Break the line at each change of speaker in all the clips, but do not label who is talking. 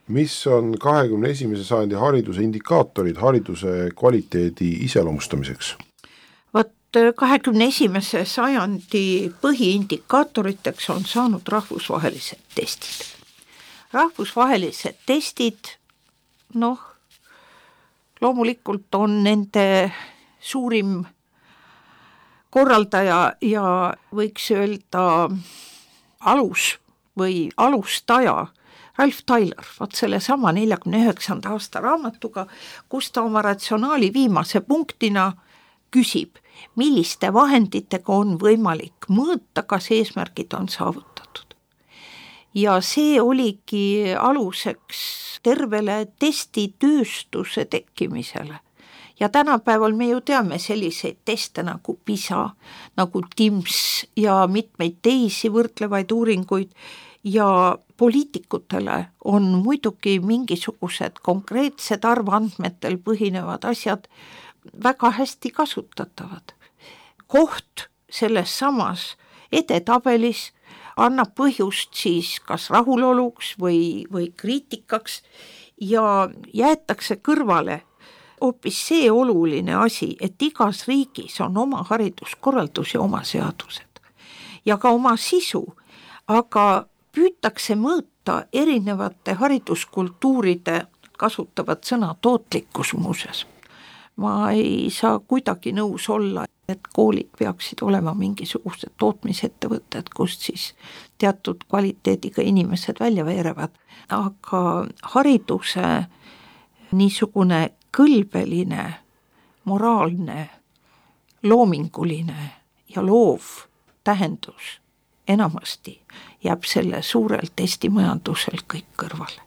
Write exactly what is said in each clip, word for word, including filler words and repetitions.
mis on kahekümne esimese sajandi hariduse indikaatorid hariduse kvaliteedi iseloomustamiseks?
Vot kahekümne esimese sajandi põhiindikaatoriteks on saanud rahvusvahelised testid. Rahvusvahelised testid, noh, loomulikult on nende suurim korraldaja ja võiks öelda alus või alustaja Ralph Tyler, vaat selle sama neljakümne üheksanda aasta raamatuga, kus ta oma ratsionaali viimase punktina küsib, milliste vahenditega on võimalik mõõta, kas eesmärgid on saavutatud. Ja see oligi aluseks tervele testitööstuse tekkimisele. Ja tänapäeval me ju teame selliseid teste nagu PISA, nagu TIMSS ja mitmeid teisi võrdlevaid uuringuid ja poliitikutele on muidugi mingisugused konkreetsed arvandmetel põhinevad asjad väga hästi kasutatavad. Koht selles samas edetabelis annab põhjust siis kas rahuloluks või, või kriitikaks ja jäetakse kõrvale hoopis see oluline asi, et igas riigis on oma hariduskorraldus ja oma seadused ja ka oma sisu, aga püütakse mõõta erinevate hariduskultuuride kasutavat sõna tootlikkus muuseas. Ma ei saa kuidagi nõus olla, et koolid peaksid olema mingisugused tootmisettevõtted, kust siis teatud kvaliteediga inimesed välja veerevad, aga hariduse niisugune kõlbeline, moraalne, loominguline ja loov tähendus enamasti jääb selle suurel testimajandusel kõik kõrvale.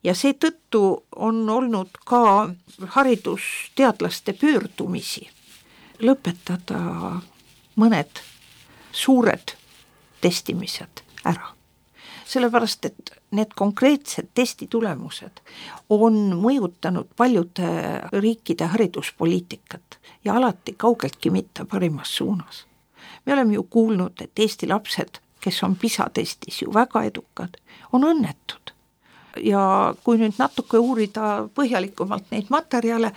Ja seetõttu on olnud ka haridusteadlaste pöördumisi lõpetada mõned suured testimised ära. Sellepärast, et need konkreetsed testitulemused on mõjutanud paljude riikide hariduspoliitikat ja alati kaugeltki mitte parimas suunas. Me oleme ju kuulnud, et Eesti lapsed, kes on PISA testis ju väga edukad, on õnnetud. Ja kui nüüd natuke uurida põhjalikumalt neid materjale,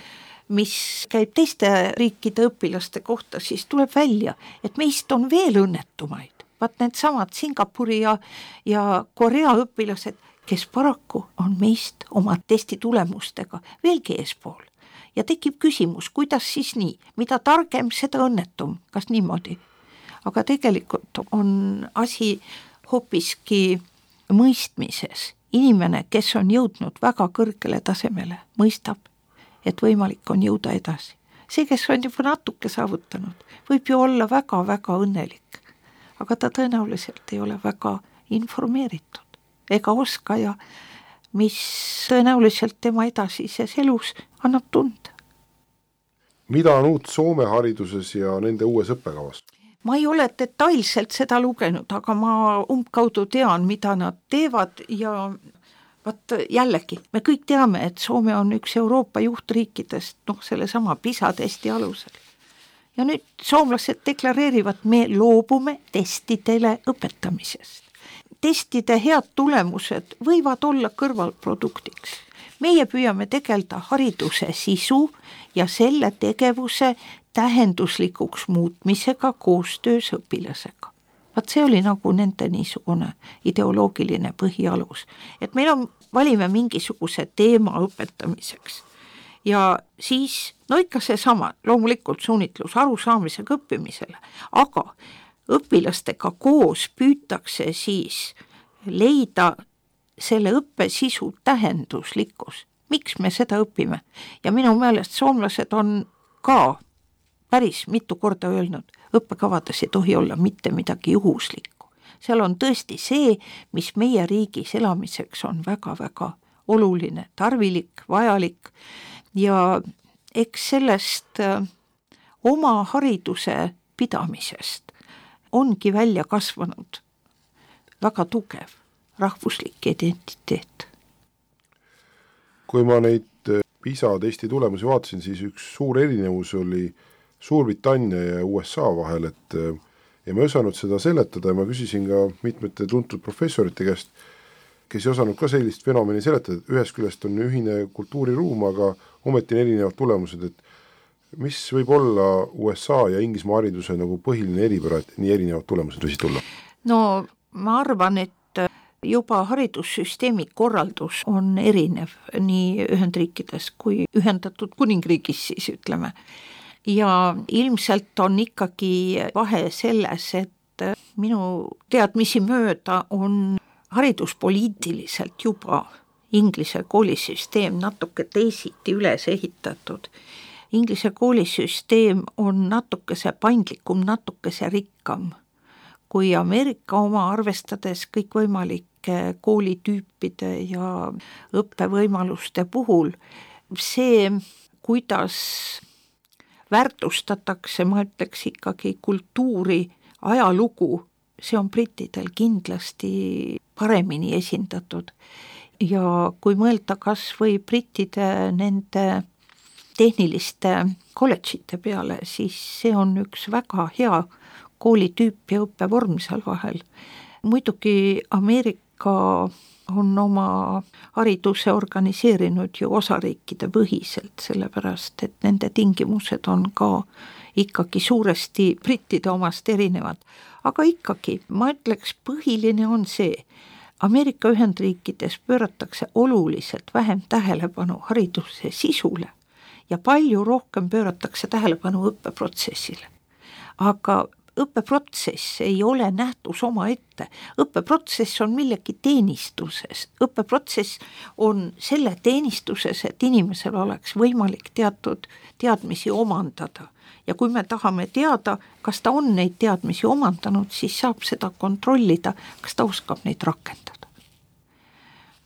mis käib teiste riikide õpilaste kohta, siis tuleb välja, et meist on veel õnnetumaid. Vaat need samad Singapuri ja, ja Korea õpilased, kes paraku on meist oma testitulemustega veelgi eespool. Ja tekib küsimus, kuidas siis nii? Mida targem, seda õnnetum. Kas niimoodi? Aga tegelikult on asi hoopiski mõistmises. Inimene, kes on jõudnud väga kõrgele tasemele, mõistab, et võimalik on jõuda edasi. See, kes on juba natuke saavutanud, võib ju olla väga-väga õnnelik. Aga ta tõenäoliselt ei ole väga informeeritud ega oska ja mis tõenäoliselt tema edasises elus annab tunda.
Mida on uut Soome hariduses ja nende uues õppekavas?
Ma ei ole detailselt seda lugenud, aga ma umbkaudu tean, mida nad teevad ja vaat jällegi, me kõik teame, et Soome on üks Euroopa juhtriikidest, noh selle sama PISA testi alusel. Ja nüüd soomlased deklareerivad, me loobume testidele õpetamisest. Testide head tulemused võivad olla kõrvalproduktiks. Meie püüame tegelda hariduse sisu ja selle tegevuse tähenduslikuks muutmisega koostöös õpilasega. Vaat see oli nagu nende niisugune ideoloogiline põhialus, et meil on, valime mingisuguse teema õpetamiseks. Ja siis, no ikka see sama, loomulikult suunitlus arusaamisega õppimisele, aga õpilastega koos püütakse siis leida selle õppe sisu tähenduslikkus. Miks me seda õpime? Ja minu meelest soomlased on ka päris mitu korda öelnud, õppekavades ei tohi olla mitte midagi juhuslikku. Seal on tõesti see, mis meie riigis elamiseks on väga-väga oluline, tarvilik, vajalik ja eks sellest oma hariduse pidamisest ongi välja kasvanud väga tugev rahvuslik identiteet.
Kui ma neid PISA testi tulemusi vaatasin, siis üks suur erinevus oli Suurbritannia ja U S A vahel, et ja ma ei osanud seda seletada ja ma küsisin ka mitmete tuntud professorite käest, kes ei osanud ka sellist fenomeni seletada, et ühest küljest on ühine kultuuriruum, aga ometi on erinevad tulemused, et mis võib olla U S A ja Inglismaa hariduse nagu põhiline eripära, et nii erinevad tulemused võisid tulla?
No ma arvan, et juba haridussüsteemi korraldus on erinev nii Ühendriikides kui Ühendatud Kuningriigis siis ütleme. Ja ilmselt on ikkagi vahe selles, et minu teadmisi mööda on hariduspoliitiliselt juba Inglise koolisüsteem natuke teisiti üles ehitatud. Inglise koolisüsteem on natukese paindlikum, natukese rikkam kui Ameerika oma, arvestades kõikvõimalike koolitüüpide ja õppevõimaluste puhul. See, kuidas väärtustatakse, ma ütleks ikkagi kultuuri, ajalugu, see on brittidel kindlasti paremini esindatud. Ja kui mõelda kas või brittide nende tehniliste kolledžite peale, siis see on üks väga hea koolitüüp ja õppevorm seal vahel. Muidugi Ameerika on oma hariduse organiseerinud ju osariikide põhiselt, sellepärast et nende tingimused on ka ikkagi suuresti brittide omast erinevad. Aga ikkagi, ma ütleks, põhiline on see, Ameerika Ühendriikides pööratakse oluliselt vähem tähelepanu hariduse sisule ja palju rohkem pööratakse tähelepanu õppeprotsessile. Aga õppeprotsess ei ole nähtus oma ette. Õppeprotsess on millegi teenistuses. Õppeprotsess on selle teenistuses, et inimesel oleks võimalik teatud teadmisi omandada. Ja kui me tahame teada, kas ta on neid teadmisi omandanud, siis saab seda kontrollida, kas ta oskab neid rakendada.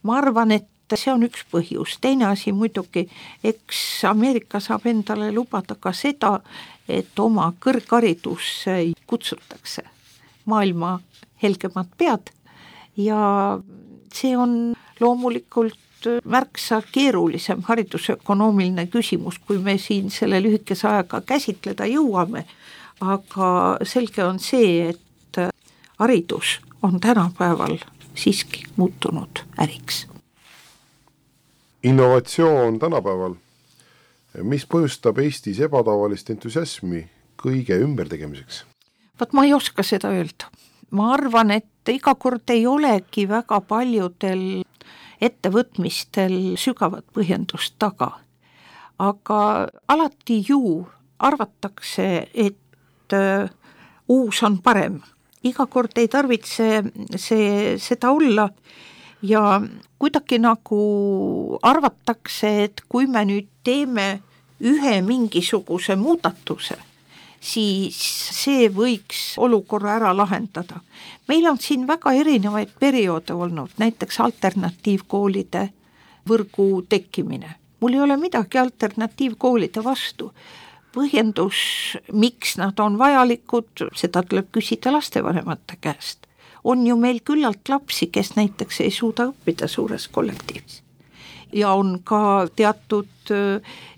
Ma arvan, et see on üks põhjus. Teine asi muidugi, eks Ameerika saab endale lubada ka seda, et oma kõrgharidusse kutsutakse maailma helgemad pead ja see on loomulikult märksa keerulisem haridusökonoomiline küsimus, kui me siin selle lühikese ajaga käsitleda jõuame, aga selge on see, et haridus on tänapäeval siiski muutunud äriks.
Innovatsioon tänapäeval, mis põhjustab Eestis ebatavalist entusiasmi kõige ümbertegemiseks?
Vaat ma ei oska seda öelda. Ma arvan, et iga kord ei olegi väga paljudel ettevõtmistel sügavat põhjendust taga. Aga alati ju arvatakse, et uus on parem. Iga kord ei tarvitse see, seda olla ja kuidagi nagu arvatakse, et kui me nüüd teeme ühe mingisuguse muudatuse, siis see võiks olukorra ära lahendada. Meil on siin väga erinevaid perioode olnud, näiteks alternatiivkoolide võrgu tekkimine. Mul ei ole midagi alternatiivkoolide vastu. Põhjendus, miks nad on vajalikud, seda tuleb küsida lastevanemate käest. On ju meil küllalt lapsi, kes näiteks ei suuda õppida suures kollektiivis. Ja on ka teatud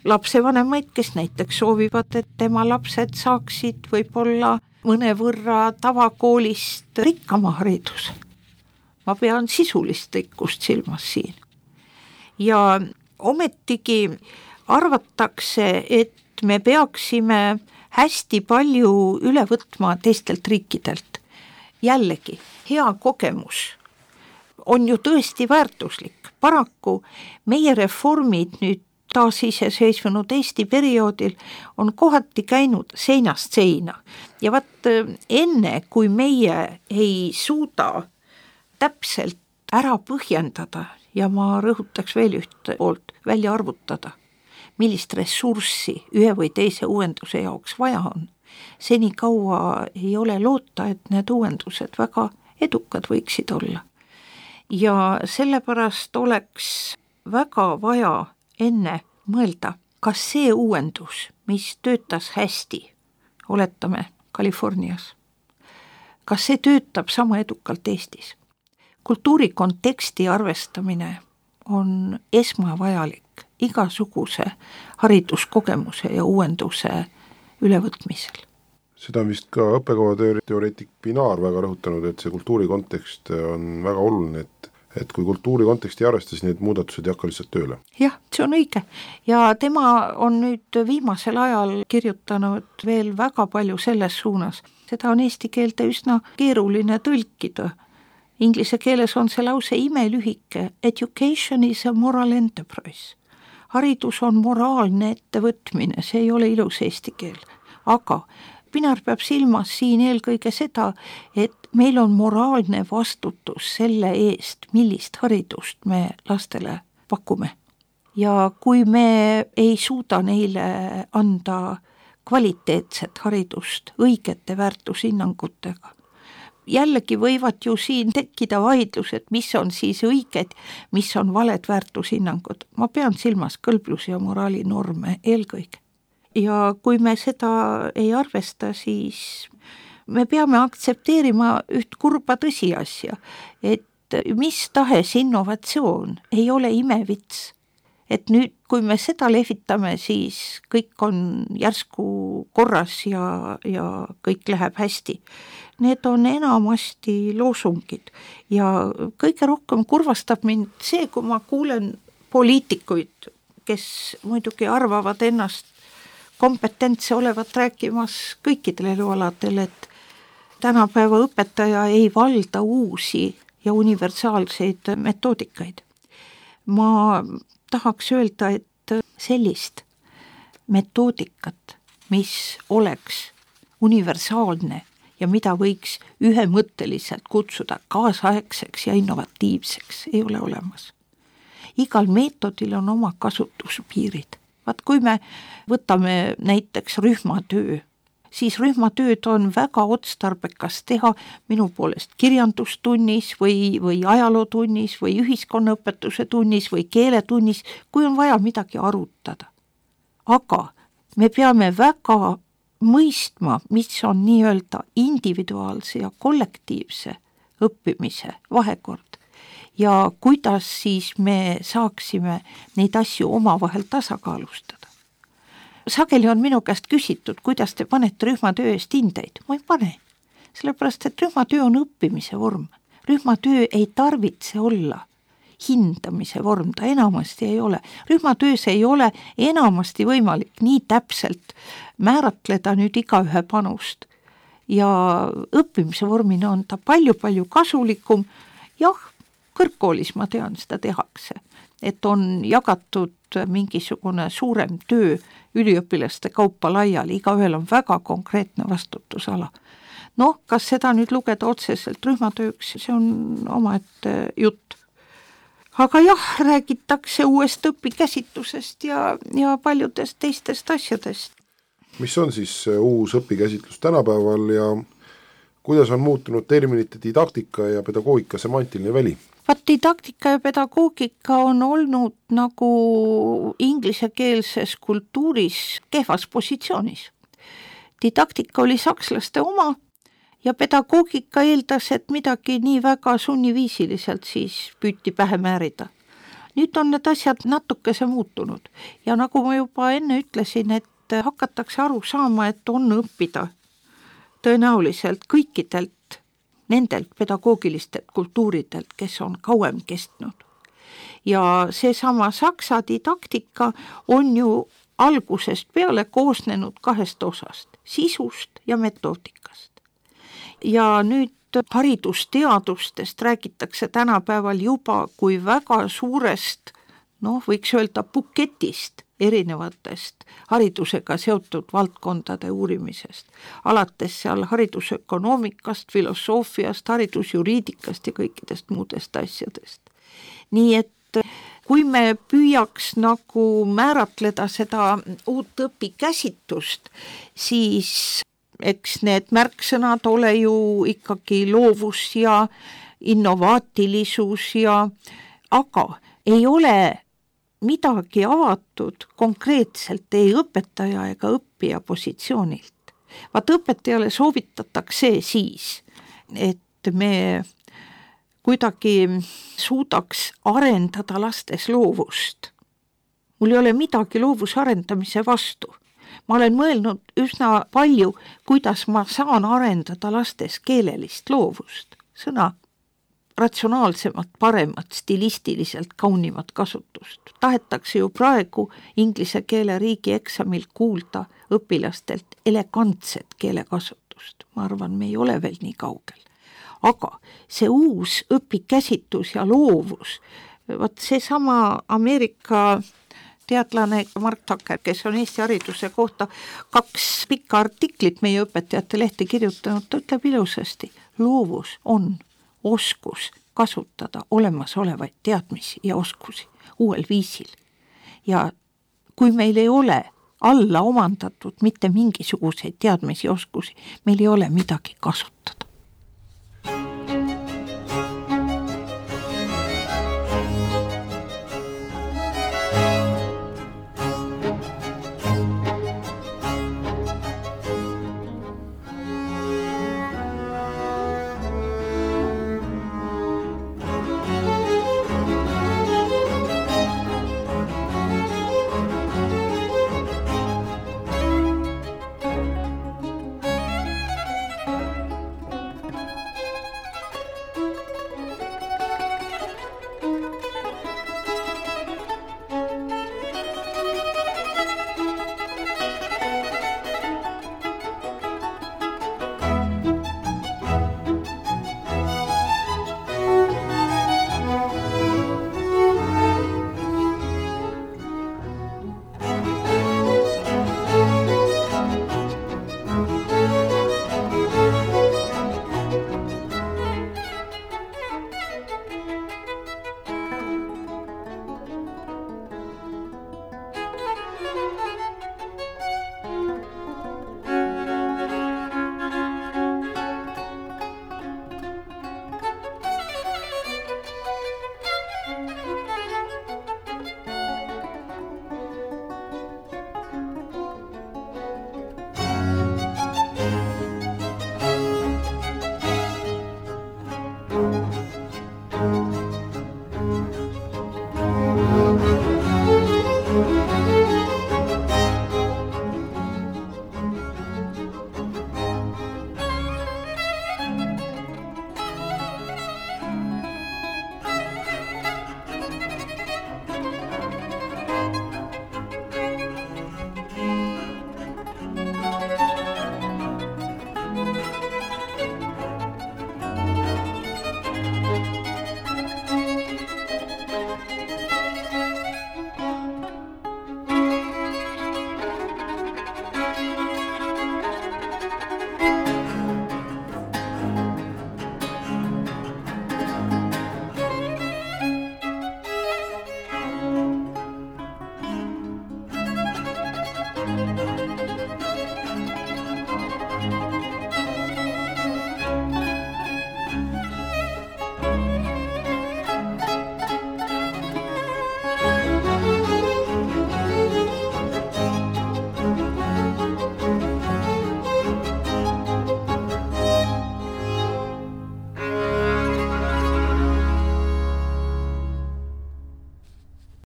lapsevanemaid, kes näiteks soovivad, et tema lapsed saaksid võib-olla mõnevõrra tavakoolist rikkama hariduse. Ma pean sisulist rikkust silmas siin. Ja ometigi arvatakse, et me peaksime hästi palju üle võtma teistelt riikidelt. Jällegi, hea kogemus on ju tõesti väärtuslik. Paraku meie reformid nüüd taasiseseisvunud Eesti perioodil on kohati käinud seinast seina. Ja vaat enne, kui meie ei suuda täpselt ära põhjendada ja ma rõhutaks veel üht poolt välja arvutada, millist ressurssi ühe või teise uuenduse jaoks vaja on, seni kaua ei ole loota, et need uuendused väga edukad võiksid olla. Ja sellepärast oleks väga vaja enne mõelda, kas see uuendus, mis töötas hästi, oletame Californias, kas see töötab sama edukalt Eestis. Kultuuri konteksti arvestamine on esmavajalik igasuguse hariduskogemuse ja uuenduse ülevõtmisel.
Seda on vist ka õppekava teoreetik Pinaar väga rõhutanud, et see kultuuri kontekst on väga oluline, et et kui kultuuri konteksti arvestas, need muudatused ei hakka lihtsalt tööle.
jah, see on õige ja tema on nüüd viimasel ajal kirjutanud veel väga palju selles suunas. Seda on eesti keelde üsna keeruline tõlkida. Inglise keeles on see lause imelühike. Education is a moral enterprise. Haridus on moraalne ettevõtmine, see ei ole ilus eesti keel. Aga Pinar peab silmas siin eelkõige seda, et meil on moraalne vastutus selle eest, millist haridust me lastele pakume. Ja kui me ei suuda neile anda kvaliteetset haridust õigete väärtushinnangutega, jällegi võivad ju siin tekkida vaidlused, mis on siis õiged, mis on valed väärtushinnangud. Ma pean silmas kõlblus- ja moraalinorme eelkõige. Ja kui me seda ei arvesta, siis me peame aktsepteerima üht kurba tõsiasja, et mis tahes innovatsioon ei ole imevits. Et nüüd, kui me seda lehvitame, siis kõik on järsku korras ja, ja kõik läheb hästi. Need on enamasti loosungid ja kõige rohkem kurvastab mind see, kui ma kuulen poliitikuid, kes muidugi arvavad ennast kompetentse olevat rääkimas kõikidel elualadel, et tänapäeva õpetaja ei valda uusi ja universaalseid metoodikaid. Ma tahaks öelda, et sellist metoodikat, mis oleks universaalne ja mida võiks ühemõtteliselt kutsuda kaasaegseks ja innovatiivseks, ei ole olemas. Igal meetodil on oma kasutuspiirid. Vaat kui me võtame näiteks rühmatöö, siis rühmatööd on väga otstarbekas teha minu poolest kirjandustunnis või, või ajalootunnis või ühiskonnaõpetuse tunnis või keeletunnis, kui on vaja midagi arutada. Aga me peame väga mõistma, mis on nii-öelda individuaalse ja kollektiivse õppimise vahekord ja kuidas siis me saaksime neid asju omavahel tasakaalustada. Sageli on minu käest küsitud, kuidas te panete rühmatöö eest hindeid. Ma ei pane, sellepärast et rühmatöö on õppimise vorm. Rühmatöö ei tarvitse olla hindamise vorm, ta enamasti ei ole. Rühmatöös ei ole enamasti võimalik nii täpselt määratleda nüüd igaühe panust. Ja õppimise vormina on ta palju-palju kasulikum. Jah, kõrgkoolis ma tean, seda tehakse, et on jagatud mingisugune suurem töö üliõpilaste kaupa laiali, igaühel on väga konkreetne vastutusala. Noh, kas seda nüüd lugeda otseselt rühmatööks, see on omaette jutt. Aga jah, räägitakse uuest õpikäsitlusest ja, ja paljudest teistest asjadest.
Mis on siis uus õpikäsitlus tänapäeval ja kuidas on muutunud terminite didaktika ja pedagoogika semantiline väli?
Vaat didaktika ja pedagoogika on olnud nagu inglisekeelses kultuuris kehvas positsioonis. Didaktika oli sakslaste oma ja pedagoogika eeldas, et midagi nii väga sunniviisiliselt siis püüti pähe määrida. Nüüd on need asjad natukese muutunud ja nagu ma juba enne ütlesin, et hakatakse aru saama, et on õppida tõenäoliselt kõikidelt nendelt pedagoogilistelt kultuuridelt, kes on kauem kestnud. Ja seesama saksa didaktika on ju algusest peale koosnenud kahest osast, sisust ja metoodikast. Ja nüüd haridusteadustest räägitakse tänapäeval juba kui väga suurest, noh, võiks öelda buketist erinevatest haridusega seotud valdkondade uurimisest, alates seal haridusökonoomikast, filosoofiast, haridusjuriidikast ja kõikidest muudest asjadest. Nii et kui me püüaks nagu määratleda seda uut õpikäsitust, siis eks need märksõnad ole ju ikkagi loovus ja innovaatilisus ja, aga ei ole midagi avatud konkreetselt ei õpetaja ega õppija positsioonilt. Vaat õpetajale soovitatakse siis, et me kuidagi suudaks arendada lastes loovust. Mul ei ole midagi loovuse arendamise vastu. Ma olen mõelnud üsna palju, kuidas ma saan arendada lastes keelelist loovust. Sõna ratsionaalsemat, paremat, stilistiliselt kaunimat kasutust. Tahetakse ju praegu inglise keele riigieksamil kuulda õpilastelt elegantset keelekasutust. Ma arvan, me ei ole veel nii kaugel. Aga see uus õpikäsitus ja loovus, vaat see sama Ameerika teadlane Mark Tucker, kes on Eesti hariduse kohta kaks pikka artiklit meie õpetajate lehte kirjutanud, ta ütleb ilusasti, loovus on oskus kasutada olemasolevaid teadmisi ja oskusi uuel viisil. Ja kui meil ei ole alla omandatud mitte mingisuguseid teadmisi ja oskusi, meil ei ole midagi kasutada.